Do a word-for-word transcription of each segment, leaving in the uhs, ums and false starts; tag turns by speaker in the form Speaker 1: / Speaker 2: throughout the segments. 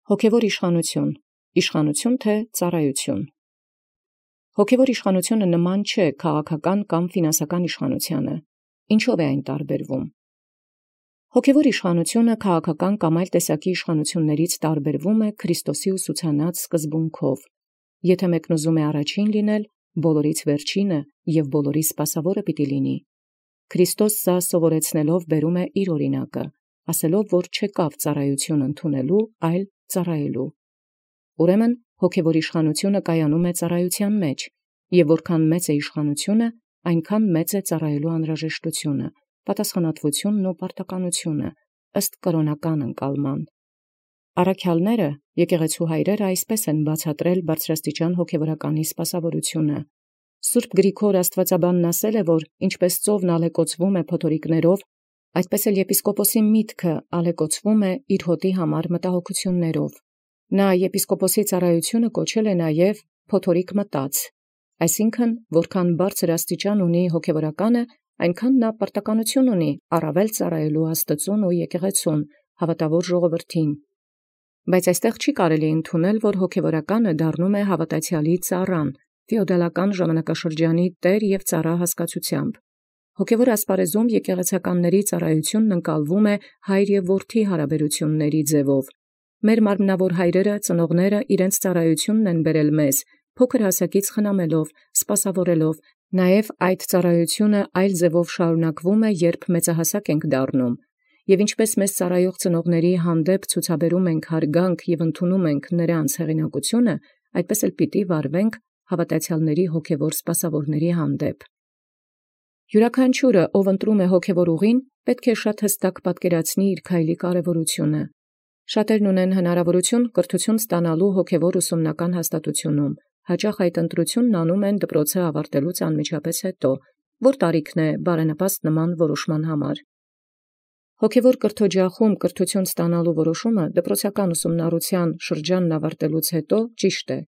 Speaker 1: Հոգևոր իշխանություն, իշխանություն թե ծառայություն։ Հոգևոր իշխանությունը նման չէ քաղաքական կամ ֆինանսական իշխանությանը։ Ինչով է այն տարբերվում։ Հոգևոր իշխանությունը քաղաքական կամ այլ տեսակի իշխանություններից տարբերվում է Քրիստոսի ուսուցանած սկզբունքով. եթե մեկն ուզում է առաջին լինել, բոլորից վերջինը և բոլորի սպասավորը պիտի լինի։ Քրիստոս սա սովորեցնելով բերում է իր օրինակը, ասելով, որ չեկավ ծառայություն ընդունելու, այլ ծառայելու։ Ուրեմն հոգևոր իշխանությունը կայանում է ծառայության մեջ, և որքան մեծ է իշխանությունը, այնքան մեծ է ծառայելու անհրաժեշտությունը, պատասխանատվությունն ու պարտականությունը, ըստ կրոնական ընկալման։ Առաքյալները, եկեղեցու հայրերը այսպես են բացատրել բարձրաստիճան հոգևորականի սպասավորությունը։ Սուրբ Գրիգոր աստվածաբանն ասել է, որ ինչպես ծովն ալեկոծվում է փոթորիկներով, այդպես էլ եպիսկոպոսի միտքը ալեկոծվում է իր հոտի համար մտահոգություններով։ Նա եպիսկոպոսի ծառայությունը կոչել է նաև փոթորիկ մտած, այսինքն որքան բարձր աստիճան ունի հոգևորականը, այնքան նա պարտականություն ունի առավել ծառայելու Աստծուն ու եկեղեցուն, հավատավոր ժողովրդին։ Բայց այստեղ չի կարելի ընդունել, որ հոգևորականը դառնում է հավատացյալի ծառան, ֆեոդալական ժամանակաշրջանի տեր և ծառա հասկացությամբ։ Հոգևոր ասպարեզում եկեղեցականների ծառայությունն ընկալվում է հայր և որդի հարաբերությունների ձևով։ Մեր մարմնավոր հայրերը, ծնողները իրենց ծառայությունն են բերել մեզ, փոքր հասակից խնամելով, սպասավորելով, նաև այդ ծառայությունը այլ ձևով շարունակվում է, երբ մեծահասակ ենք դառնում, և ինչպես մեզ ծառայող ծնողների հանդեպ ցուցաբերում ենք հարգանք և ընդունում ենք նրանց հեղինակությունը, այդպես էլ պիտի վարվենք հավատացյալների հոգևոր սպասավորների հանդեպ։ Յուրաքանչյուրը, ով ընտրում է հոգևոր ուղին, պետք է շատ հստակ պատկերացնի իր քայլի կարևորությունը։ Շատերն ունեն հնարավորություն կրթություն ստանալու հոգևոր ուսումնական հաստատությունում, հաճախ այդ ընտրությունն անում են դպրոցը ավարտելուց անմիջապես հետո, որ տարիքն է բարենպաստ նման որոշման համար։ Հոգևոր կրթօջախում կրթություն ստանալու որոշումը դպրոցական ուսումնառության շրջանն ավարտելուց հետո ճիշտ է,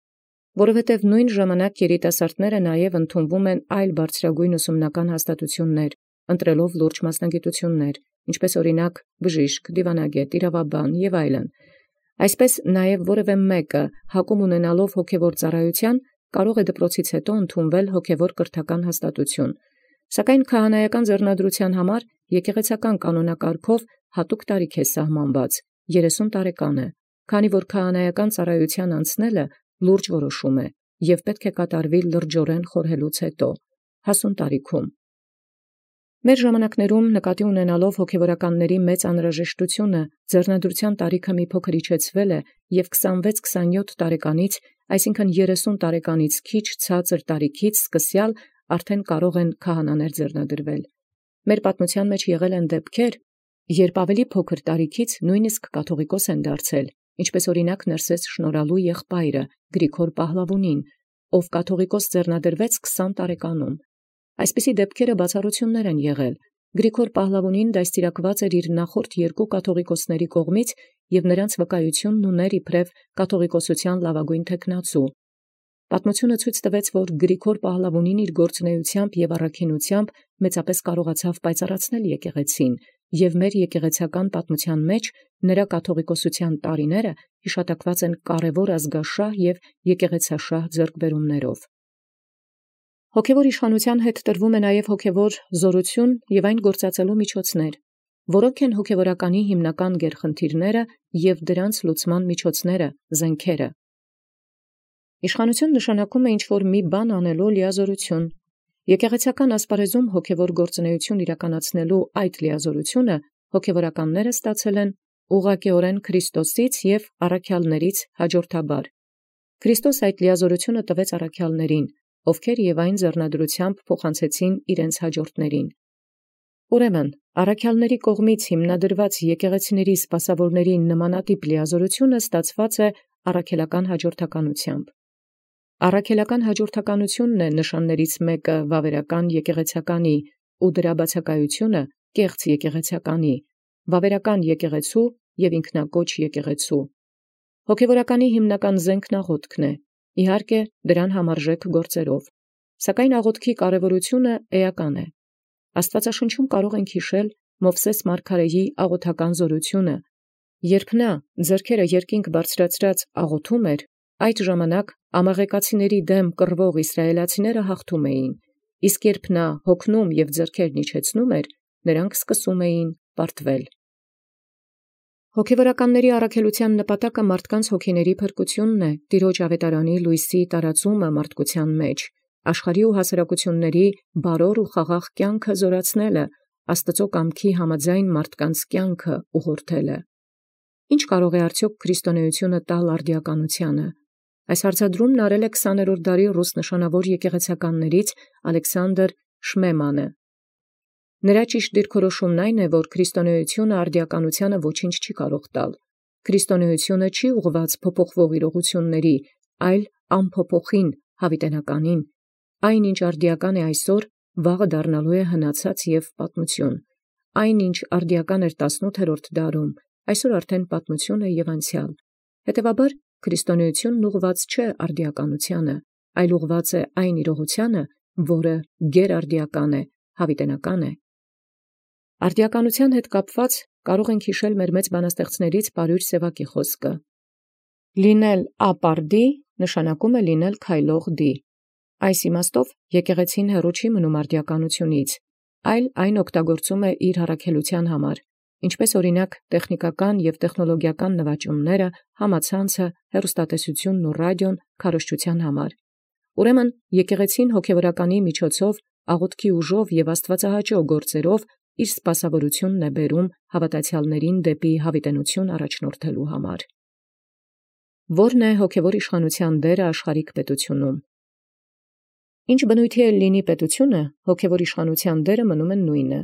Speaker 1: որովհետև նույն ժամանակ երիտասարդները նաև ընդունվում են այլ բարձրագույն ուսումնական հաստատություններ, ընտրելով լուրջ մասնագիտություններ, ինչպես օրինակ բժիշկ, դիվանագետ, իրավաբան և այլն։ Այսպես նաև որևէ մեկը հակում ունենալով հոգևոր ծառայության կարող է դպրոցից հետո ընդունվել հոգևոր կրթական հաստատություն, սակայն քահանայական ձեռնադրության համար եկեղեցական կանոնակարգով հատուկ տարիք է սահմանված՝ երեսուն տարեկանը, քանի որ քահանայական ծառայության անցնելը լուրջ որոշում է և պետք է կատարվի լրջորեն խորհելուց հետո, հասուն տարիքում։ Մեր ժամանակներում նկատի ունենալով հոգևորականների մեծ անհրաժեշտությունը, ձեռնադրության տարիքը մի փոքր իջեցվել է և քսանվեց քսանյոթ տարեկանից, այսինքն երեսուն տարեկանից քիչ ցածր տարիքից սկսյալ արդեն կարող են քահանաներ ձեռնադրվել։ Մեր պատմության մեջ եղել են դեպքեր, երբ ավելի փոքր տարիքից նույնիսկ կաթողիկոս են դարձել, ինչպես օրինակ Ներսես շնորհալու եղբայրը Գրիգոր Պահլավունին, ով կաթողիկոս ձեռնադրվեց քսան տարեկանում։ Այսպիսի դեպքերը բացառություններ են եղել։ Գրիգոր Պահլավունին դաստիարակված էր իր նախորդ երկու կաթողիկոսների կողմից և նրանց վկայությունն ուներ իբրև կաթողիկոսության լավագույն թեկնածու։ Պատմությունը ցույց տվեց, որ Գրիգոր Պահլավունին իր գործունեությամբ և առաքինությամբ մեծապես կարողացավ պայծառացնել եկեղեցին, և մեր եկեղեցական պատմության մեջ նրա կաթողիկոսության տարիները հիշատակված են կարևոր ազգաշահ և եկեղեցաշահ ձեռքբերումներով։ Հոգևոր իշխանության հետ տրվում է նաև հոգևոր զորություն և այն գործածելու միջոցներ, որոնք են հոգևորականի հիմնական գերխնդիրները և դրանց լուծման միջոցները, զենքերը։ Իշխանություն նշանակում է ինչ-որ մի բան անելու լիազորություն։ Եկեղեցական ասպարեզում հոգևոր գործունեություն իրականացնելու այդ լիազորությունը հոգևորականները ստացել են ուղղակիորեն Քրիստոսից և առաքյալներից հաջորդաբար։ Քրիստոս այդ լիազորությունը տվեց առաքյալներին, ովքեր և այն ձեռնադրությամբ փոխանցեցին իրենց հաջորդներին։ Ուրեմն, առաքյալների կողմից հիմնադրված եկեղեցիների սպասավորների նմանատիպ լիազորությունը ստացված է առաքելական հաջորդականությամբ։ Առաքելական հաջորդականությունն է նշաններից մեկը վավերական եկեղեցականի ու դրա բացակայությունը կեղծ եկեղեցականի, վավերական եկեղեցու և ինքնակոչ եկեղեցու։ Հոգևորականի հիմնական զենքն աղոթքն է, իհարկե դրան համարժեք գործերով, սակայն աղոթքի կարևորությունը էական է։ Աստվածաշնչում կարող ենք հիշել Մովսես մարգարեի աղոթական զորությունը, Երբ նա ձեռքերը երկինք բարձրացրած աղոթում էր, այդ ժամանակ ամաղեկացիների դեմ կռվող իսրայելացիները հաղթում էին, իսկ երբ նա հոգնում և ձեռքերն իջեցնում էր, նրանք սկսում էին պարտվել։ Հոգևորականների առաքելության նպատակը մարդկանց հոգիների փրկությունն է, Տիրոջ ավետարանի լույսի տարածումը մարդկության մեջ, աշխարհի ու հասարակությունների բարոր ու խաղաղ կյանքը զորացնելը, Աստծո կամքի համաձայն մարդկանց կյանքը ուղղորդելը։ Ինչ կարող է արդյոք քրիստոնեությունը տալ արդիականությանը։ Այս հարցադրումն արել է քսաներորդ դարի ռուս նշանավոր եկեղեցականներից Ալեքսանդր Շմեմանը։ Նրա ճիշտ դիրքորոշումն այն է, որ քրիստոնեությունը արդիականությանը ոչինչ չի կարող տալ։ Քրիստոնեությունը չի ուղղված փոփոխվող իրողությունների, այլ անփոփոխին, հավիտենականին։ Այն, ինչ արդիական է այսօր, վաղը դառնալու է հնացած և պատմություն։ Այն, ինչ արդիական էր տասնութերորդ դարում, այսօր արդեն պատմություն է և անցյալ։ Հետևաբար, քրիստոնեությունն ուղղված չէ արդիականությանը, այլ ուղղված է այն իրողությանը, որը գերարդիական է, հավիտենական է։ Արդիականության հետ կապված կարող ենք հիշել մեր մեծ բանաստեղծներից Պարույր Սևակի խոսքը. «Լինել ապարդի նշանակում է լինել քայլող դի»։ Այս իմաստով եկեղեցին հեռու չի մնում արդիականությունից, այլ այն օգտագործում է իր առաքելության համար, ինչպես օրինակ տեխնիկական և տեխնոլոգիական նվաճումները, համացանցը, հեռուստատեսությունն ու ռադիոն քարոզչության համար։ Ուրեմն եկեղեցին հոգևորականի միջոցով, աղոթքի ուժով և աստվածահաճո գործերով իր սպասավորությունն է բերում հավատացյալներին դեպի հավիտենություն առաջնորդելու համար։ Ո՞րն է հոգևոր իշխանության դերը աշխարհիկ պետությունում։ Ինչ բնույթի էլ լինի պետությունը, հոգևոր իշխանության դերը մնում է նույնը։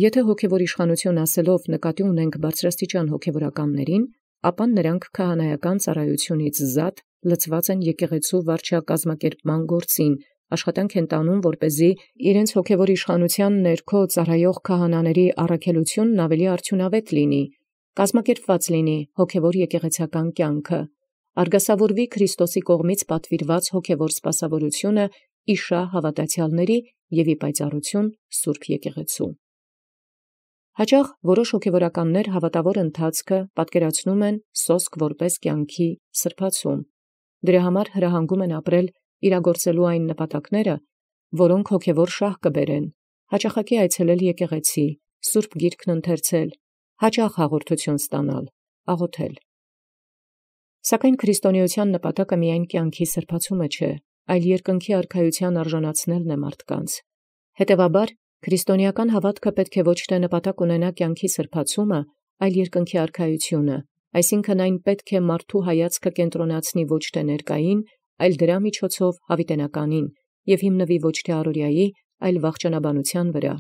Speaker 1: Եթե հոգևոր իշխանություն ասելով նկատի ունենք բարձրաստիճան հոգևորականներին, ապա նրանք քահանայական ծառայությունից զատ լծված են եկեղեցու վարչակազմակերպման գործին, աշխատանք են տանում, որպեսզի իրենց հոգևոր իշխանության ներքո ծառայող քահանաների առաքելությունն ավելի արդյունավետ լինի, կազմակերպված լինի հոգևոր եկեղեցական կյանքը, արգասավորվի Քրիստոսի կողմից պատվիրված հոգևոր սպասավորությունը իշահ հավատացյալների և ի պայծառություն Սուրբ եկեղեցու։ Հաճախ որոշ հոգևորականներ հավատավոր ընթացքը պատկերացնում են սոսկ որպես կյանքի սրբացում։ Դրա համար հրահանգում են ապրել իրագործելու այն նպատակները, որոնք հոգևոր շահ կբերեն, հաճախակի այցելել եկեղեցի, Սուրբ Գիրքն ընթերցել, հաճախ հաղորդություն ստանալ, աղոթել։ Սակայն քրիստոնեության նպատակը միայն կյանքի սրբացումը չէ, այլ երկնքի արքայության արժանացնելն է մարդկանց։ Հետևաբար, քրիստոնեական հավատքը պետք է ոչ թե նպատակ ունենա կյանքի սրբացումը, այլ երկնքի արքայությունը, այսինքն այն պետք է մարդու հայացքը կենտրոնացնի ոչ թե ներկային, այլ դրա միջոցով հավիտենականին և հիմնվի ոչ թե առօրյայի, այլ վախճանաբանության վրա։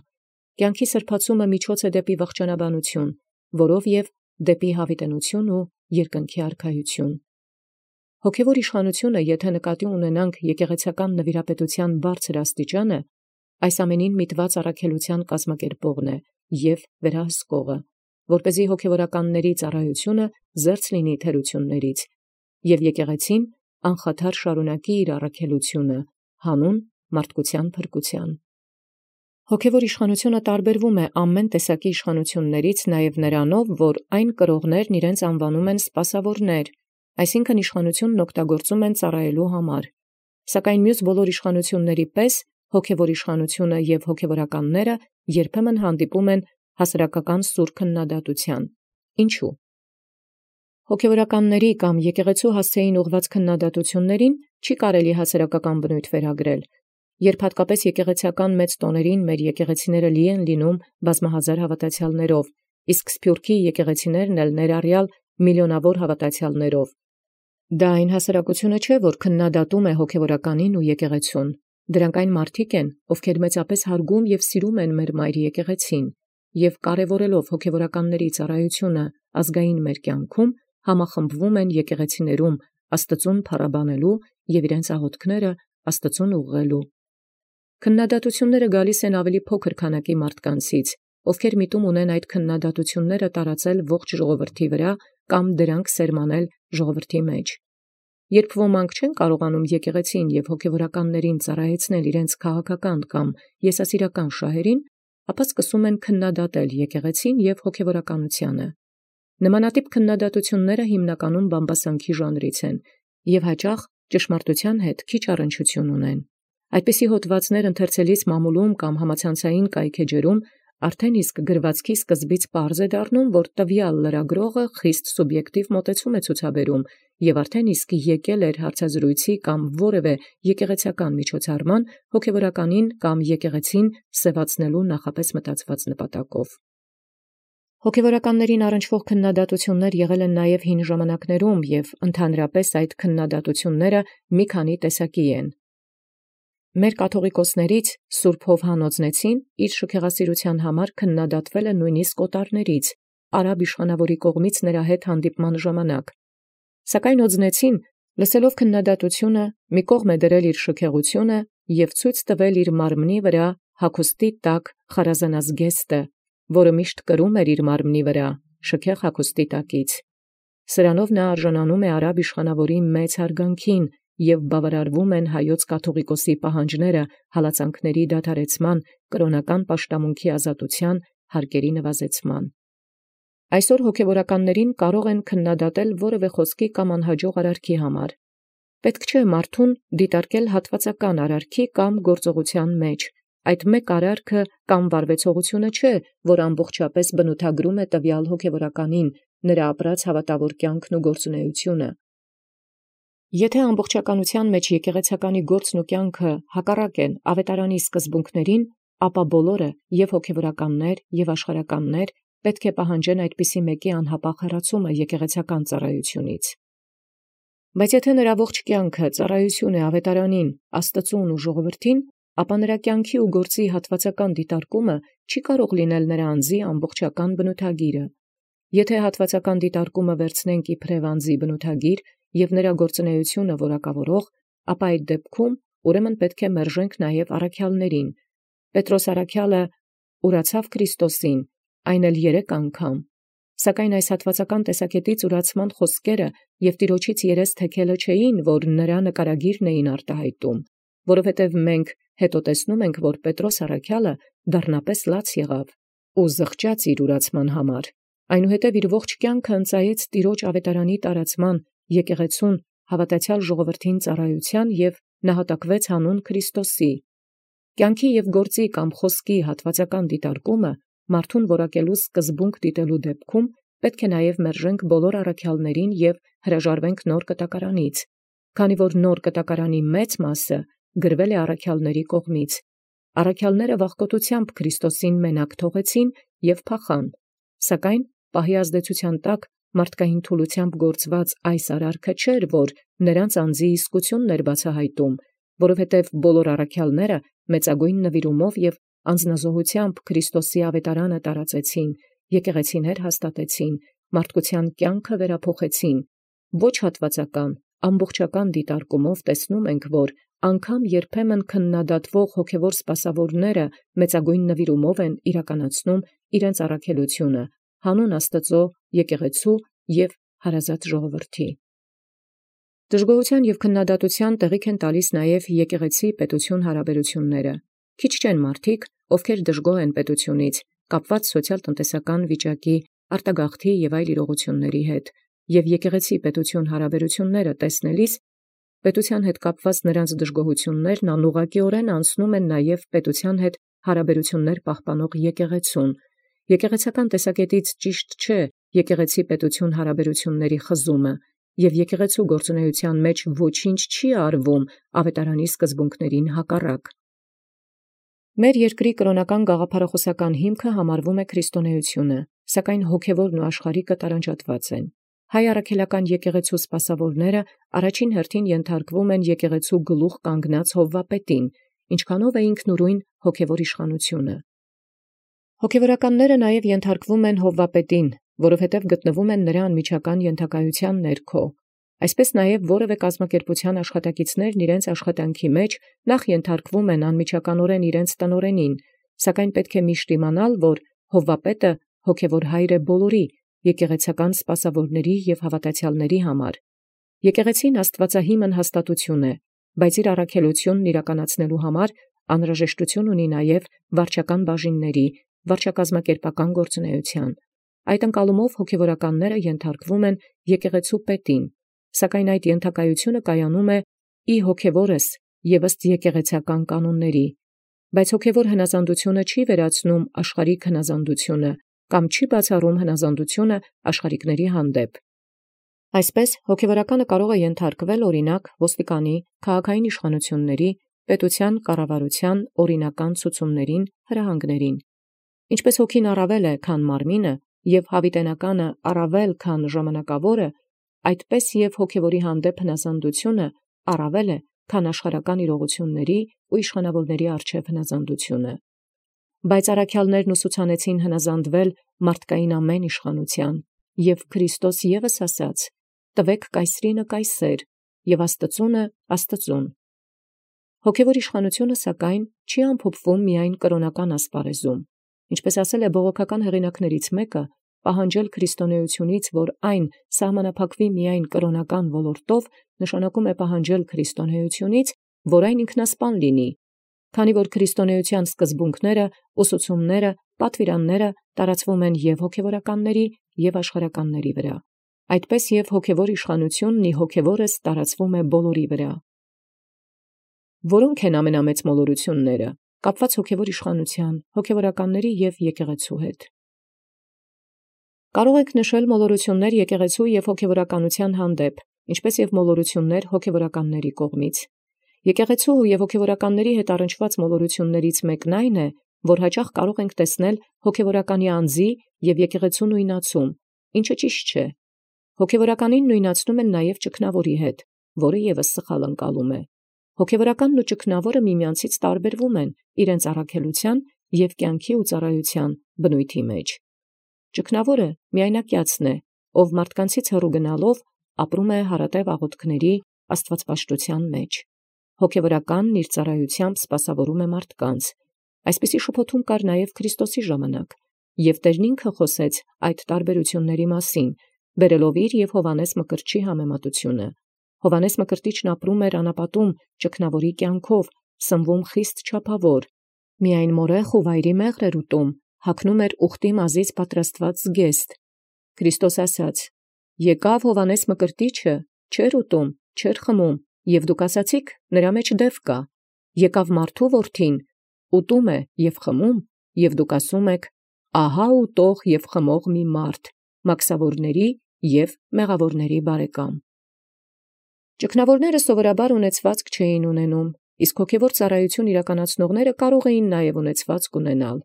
Speaker 1: Կյանքի սրբացումը միջոց է դեպի վախճանաբանություն, որով և դեպի հավիտենություն ու երկնքի արքայություն։ Հոգևոր իշխանությունը, եթե նկատի ունենանք եկեղեցական նվիրապետության բարձր աստիճանը, այս ամենին միտված առաքելության կազմակերպողն է և վերահսկողը, որպեսզի հոգևորականների ծառայությունը զերծ լինի թերություններից, և եկեղեցին անխաթար շարունակի իր առաքելությունը հանուն մարդկության փրկության։ Հոգևոր իշխանությունը տարբերվում է ամեն տեսակի իշխանություններից նաև նրանով, որ այն կրողներն իրենց անվանում են սպասավորներ, այսինքն իշխանությունն օգտագործում են ծառայելու համար։ Սակայն մյուս բոլոր իշխանությունների պես հոգևոր իշխանությունը և հոգևորականները երբեմն հանդիպում են հասարակական սուր քննադատության։ Ինչու՞։ Հոգևորականների կամ եկեղեցու հասցեին ուղղված քննադատություններին չի կարելի հասարակական բնույթ վերագրել, երբ հատկապես եկեղեցական մեծ տոներին մեր եկեղեցիները լի են լինում բազմահազար հավատացյալներով, իսկ սփյուռքի եկեղեցիներն էլ ներառյալ միլիոնավոր հավատացյալներով։ Դա այն հասարակությունը չէ, որ քննադատում է հոգևորականին ու եկեղեցուն։ Դրանք այն մարդիկ են, ովքեր մեծապես հարգում և սիրում են մեր մայր եկեղեցին, և կարևորելով հոգևորականների ծառայությունը ազգային մեր կյանքում, համախմբվում են եկեղեցիներում Աստծուն փառաբանելու և իրենց աղոթքները Աստծուն ուղղելու։ Քննադատությունները գալիս են ավելի փոքր քանակի մարդկանցից, ովքեր միտում ունեն այդ քննադատությունները տարածել ողջ ժողովրդի վրա կամ դրանք սերմանել ժողովրդի մեջ։ Երբ ոմանք չեն կարողանում եկեղեցին և հոգևորականներին ծառայեցնել իրենց քաղաքական կամ եսասիրական շահերին, ապա սկսում են քննադատել եկեղեցին և հոգևորականությանը։ Նմանատիպ քննադատությունները հիմնականում բամբասանքի ժանրից են և հաճախ ճշմարտութեան հետ քիչ առնչություն ունեն։ Այդպիսի հոդվածներ ընթերցելիս մամուլում կամ համացանցային կայքէջերում արդեն իսկ գրվածքի սկզբից պարզ է դառնում, որ տվյալ լրագրողը խիստ սուբյեկտիվ մոտեցում է ցուցաբերում և արդեն իսկ եկել էր հարցազրույցի կամ որևէ եկեղեցական միջոցառման հոգևորականին կամ եկեղեցին սևացնելու նախապես մտածված նպատակով։ Հոգևորականներին առնչվող քննադատություններ եղել են նաև հին ժամանակներում և ընդհանրապես այդ քննադատությունները մի քանի տեսակի են։ Մեր կաթողիկոսներից Սուրբ Հովհաննոձնեցին իր շքեղասիրութեան համար քննադատվել է նույնիսկ օտարներից, արաբ իշխանաւորի կողմից նրա հետ հանդիպման ժամանակ։ Սակայն օձնեցին, լսելով քննադատությունը, մի կողմ է դրել իր շքեղութիւնը և ցույց տվել իր մարմնի վրա հագուստի տակ խարազնազգեստը, որը միշտ կրում էր իր մարմնի վրա շքեղ հագուստի տակից։ Սրանով նա արժանանում է արաբ իշխանաւորի մեծ հարգանքին և բավարարվում են հայոց կաթողիկոսի պահանջները հալածանքների դադարեցման, կրոնական պաշտամունքի ազատության, հարկերի նվազեցման։ Այսօր հոգևորականներին կարող են քննադատել որևէ խոսքի կամ անհաջող արարքի համար։ Պետք չէ մարդուն դիտարկել հատվածական արարքի կամ գործողության մեջ։ Այդ մեկ արարքը կամ վարվեցողությունը չէ, որ ամբողջապես բնութագրում է տվյալ հոգևորականին, նրա ապրած հավատավոր կյանքն ու գործունեությունը։ Եթե ամբողջականության մեջ եկեղեցականի գործն ու կյանքը հակառակ են ավետարանի սկզբունքներին, ապա բոլորը, և հոգևորականներ, և աշխարհականներ, պետք է պահանջեն այդպիսի մեկի անհապաղ հեռացումը եկեղեցական ծառայությունից։ Բայց եթե նրա ողջ կյանքը ծառայություն է ավետարանին, Աստծուն ու ժողովրդին, ապա նրա կյանքի ու գործի հատվածական դիտարկումը չի կարող լինել նրա անձի ամբողջական բնութագիրը։ Եթե հատվածական դիտարկումը վերցնենք իբրև անձի բնութագիր և նրա գործունեությունը որակավորող, ապա այդ դեպքում ուրեմն պետք է մերժենք նաև առաքյալներին։ Պետրոս առաքյալը ուրացավ Քրիստոսին, այն էլ երեք անգամ, սակայն այս հատվածական տեսակետից ուրացման խոսքերը և տիրոջից երես թեքելը չէին, որ նրա նկարագիրն էին արտահայտում, որովհետև մենք հետո տեսնում ենք, որ Պետրոս առաքյալը դառնապես լաց եղավ ու զղջաց իր ուրացման համար, այնուհետև իր ողջ կյանքը ընծայեց տիրոջ ավետարանի տարածման, եկեղեցուն, հավատացյալ ժողովրդին ծառայության և նահատակվեց հանուն Քրիստոսի։ Կյանքի և գործի կամ խոսքի հատվածական դիտարկումը մարդուն որակելու սկզբունք դիտելու դեպքում պետք է նաև մերժենք բոլոր առաքյալներին և հրաժարվենք նոր կտակարանից, քանի որ նոր կտակարանի մեծ մասը գրվել է առաքյալների կողմից։ Առաքյալները վախկոտությամբ Քրիստոսին մենակ թողեցին և փախան, սակայն պահի ազդեցության տակ մարդկային թուլությամբ գործված այս արարքը չէր, որ նրանց անձի իսկությունն էր բացահայտում, որովհետև բոլոր առաքյալները մեծագույն նվիրումով և անձնազոհությամբ Քրիստոսի ավետարանը տարածեցին, եկեղեցիներ հաստատեցին, մարդկության կյանքը վերափոխեցին։ Ոչ հատվածական, ամբողջական դիտարկումով տեսնում ենք, որ անգամ երբեմն քննադատվող հոգևոր սպասավորները մեծագույն նվիրումով են իրականացնում իրենց առաքելությունը հանուն Աստծո, եկեղեցու և հարազատ ժողովրդի։ Դժգոհության և քննադատության տեղիք են տալիս նաև եկեղեցի պետություն հարաբերությունները։ Քիչ չեն մարդիկ, ովքեր դժգոհ են պետությունից, կապված սոցիալ-տնտեսական վիճակի, արտագաղթի և այլ իրողությունների հետ, և եկեղեցի պետություն հարաբերությունները տեսնելիս պետության հետ կապված նրանց դժգոհություններն անուղղակիորեն անցնում են նաև պետության հետ հարաբերություններ պահպանող եկեղեցուն։ Եկեղեցական տեսակետից ճիշտ չէ եկեղեցի պետություն հարաբերությունների խզումը, և եկեղեցու գործունեության մեջ ոչինչ չի արվում ավետարանի սկզբունքներին հակառակ։ Մեր երկրի կրոնական գաղափարախոսական հիմքը համարվում է քրիստոնեությունը, սակայն հոգևորն ու աշխարհիկը տարանջատված են։ Հայ առաքելական եկեղեցու սպասավորները առաջին հերթին ենթարկվում են եկեղեցու գլուխ կանգնած Հովվապետին, ինչքանով է ինքնուրույն հոգևոր իշխանությունը։ Հոգևորականները նաև ենթարկվում են Հովվապետին, որովհետև գտնվում են նրա անմիջական ենթակայության ներքո։ Այսպես նաև որևէ կազմակերպության աշխատակիցներն իրենց աշխատանքի մեջ նախ ենթարկվում են անմիջականորեն իրենց տնօրենին, սակայն պետք է միշտ իմանալ, որ Հովվապետը հոգևոր հայր է բոլորի, եկեղեցական սպասավորների և հավատացյալների համար։ Եկեղեցին աստվածահիմն հաստատություն է, բայց իր առաքելությունն իրականացնելու համար անհրաժեշտություն ունի նաև վարչական բաժինների, վարչակազմակերպական գործունեության։ Այդ ընկալումով հոգևորականները ենթարկվում են եկեղեցու պետին, սակայն այդ ենթակայությունը կայանում է ի հոգևորս և ըստ եկեղեցական կանոնների, բայց հոգևոր հնազանդությունը չի վերացնում աշխարհիկ հնազանդությունը կամ չի բացառում հնազանդությունը աշխարհիկների հանդեպ։ Այսպես հոգևորականը կարող է ենթարկվել օրինակ ոստիկանի, քաղաքային իշխանությունների, պետության կառավարության օրինական ցուցումներին, հրահանգներին։ Ինչպես հոգին առավել է, քան մարմինը, և հավիտենականը առավել, քան ժամանակավորը, այդպես և հոգևորի հանդեպ հնազանդությունը առավել է, քան աշխարհական իրողությունների ու իշխանավորների առջև հնազանդությունը։ Բայց առաքյալներն ուսուցանեցին հնազանդվել մարդկային ամեն իշխանության, և Քրիստոս ևս ասաց. «Տվեք կայսրինը կայսեր, և Աստծունը Աստծուն»։ Հոգևոր իշխանությունը, սակայն, չի ամփոփվում միայն կրոնական ասպարեզում, ինչպես ասել է բողոքական հեղինակներից մեկը, պահանջել քրիստոնեությունից, որ այն սահմանափակվի միայն կրոնական ոլորտով, նշանակում է պահանջել քրիստոնեությունից, որ այն ինքնասպան լինի, քանի որ քրիստոնեության սկզբունքները, ուսուցումները, պատվիրանները տարածվում են և հոգևորականների, և աշխարհականների վրա։ Այդպես և հոգևոր իշխանությունն ի հոգևորս տարածվում է բոլորի վրա։ Որո՞նք են ամենամեծ մոլորությունները, կապված հոգևոր իշխանության, հոգևորականների և եկեղեցու հետ։ Կարող եք նշել մոլորություններ եկեղեցու և հոգևորականության հանդեպ, ինչպես և մոլորություններ հոգևորականների կողմից։ Եկեղեցու և հոգևորականների հետ առնչված մոլորություններից մեկն այն է, որ հաճախ կարող ենք տեսնել հոգևորականի անձի և եկեղեցու նույնացում, ինչը ճիշտ չէ։ Հոգևորականին նույնացնում են նաև ճգնավորի հետ, որը ևս սխալ ընկալում է։ Հոգևորականն ու ճգնավորը միմյանցից տարբերվում են իրենց առաքելության և կյանքի ու ծառայության բնույթի մեջ։ Ճգնավորը միայնակյացն է, ով մարդկանցից հեռու գնալով ապրում է հարատև աղոթքների աստվածպաշտության մեջ։ Հոգևորականն իր ծառայությամբ սպասավորում է մարդկանց։ Այսպիսի շփոթում կար նաև Քրիստոսի ժամանակ, և Տերն ինքը խոսեց այդ տարբերությունների մասին, բերելով իր և Հովհաննես Մկրտչի համեմատությունը։ Հովհաննես Մկրտիչն ապրում էր անապատում ճգնավորի կյանքով, սնվում խիստ չափավոր, միայն մորեխ ու վայրի մեղր էր ուտում, հագնում էր ուխտի մազից պատրաստված զգեստ։ Քրիստոս ասաց. «Եկավ Հովհաննես Մկրտիչը, չէր ուտում, չէր խմում, և դուք ասացիք. նրա մեջ դև կա։ Եկավ մարդու որդին, ուտում է և խմում, և դուք ասում եք. ահա ուտող և խմող մի մարդ, մաքսավորների և մեղավորների բարեկամ»։ Ճգնավորները սովորաբար ունեցվածք չէին ունենում, իսկ հոգևոր ծառայություն իրականացնողները կարող էին նաև ունեցվածք ունենալ։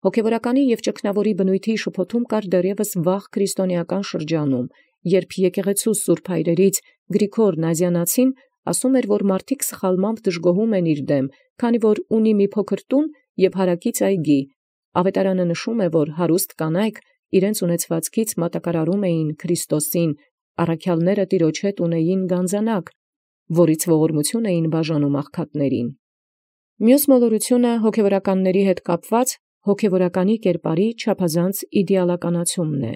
Speaker 1: Հոգևորականի և ճգնավորի բնույթի շփոթում կար դեռևս վաղ քրիստոնեական շրջանում, երբ եկեղեցու սուրբ հայրերից Գրիգոր Նազիանացին ասում էր, որ մարդիկ սխալմամբ դժգոհում են իր դեմ, քանի որ ունի մի փոքր տուն և հարակից այգի։ Ավետարանը նշում է, որ հարուստ կանայք իրենց ունեցվածքից մատակարարում էին Քրիստոսին, առաքյալները տիրոջ հետ ունեին գանձանակ, որից ողորմություն էին բաժանում աղքատներին։ Մյուս մոլորությունը հոգևորականների հետ կապված հոգևորականի կերպարի չափազանց իդեալականացումն է։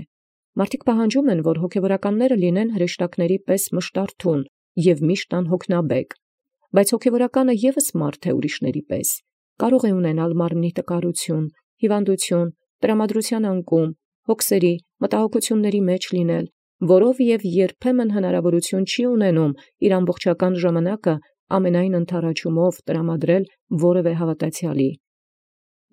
Speaker 1: Մարդիկ պահանջում են, որ հոգևորականները լինեն հրեշտակների պես մշտարթուն և միշտ անհոգնաբեկ, բայց հոգևորականը ևս մարդ է ուրիշների պես, կարող է ունենալ մարմնի տկարություն, հիվանդություն, տրամադրության անկում, հոգսերի, մտահոգությունների մեջ լինել, որով և երբեմն հնարավորություն չի ունենում իր ամբողջական ժամանակը ամենայն ընդառաջումով տրամադրել որևէ հավատացյալի։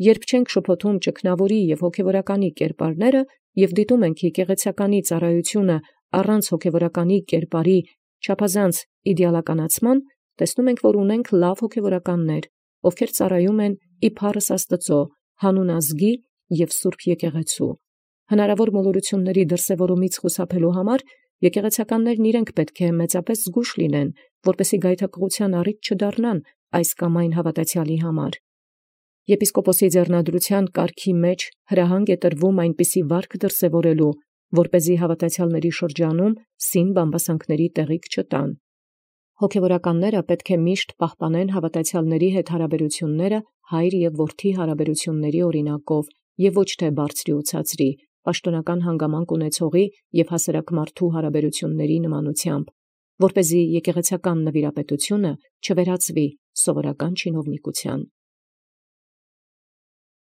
Speaker 1: Երբ չենք շփոթում ճգնավորի և հոգևորականի կերպարները և դիտում ենք եկեղեցականի ծառայությունը առանց հոգևորականի կերպարի չափազանց իդեալականացման, տեսնում ենք, որ ունենք լավ հոգևորականներ, ովքեր ծառայում են ի փառս Աստուծո, հանուն ազգի և սուրբ եկեղեցու։ Հնարավոր մոլորությունների դրսևորումից խուսափելու համար եկեղեցականներն իրենք պետք է մեծապես զգույշ լինեն, որպեսզի գայթակղության առիթ չդառնան այս կամ այն հավատացյալի համար։ Եպիսկոպոսի ձեռնադրության կարգի մեջ հրահանգ է տրվում այնպիսի վարք դրսևորելու, որպեսզի հավատացյալների շրջանում սին բամբասանքների տեղիք չտան։ Հոգևորականները պետք է միշտ պահպանեն հավատացյալների հետ հարաբերությունները հայր և որդի հարաբերությունների օրինակով և ոչ թե բարձրի ու ցածրի, պաշտոնական հանգամանք ունեցողի և հասարակ մարդու հարաբերությունների նմանությամբ, որպեսզի եկեղեցական նվիրապետությունը չվերածվի սովորական չինովնիկության։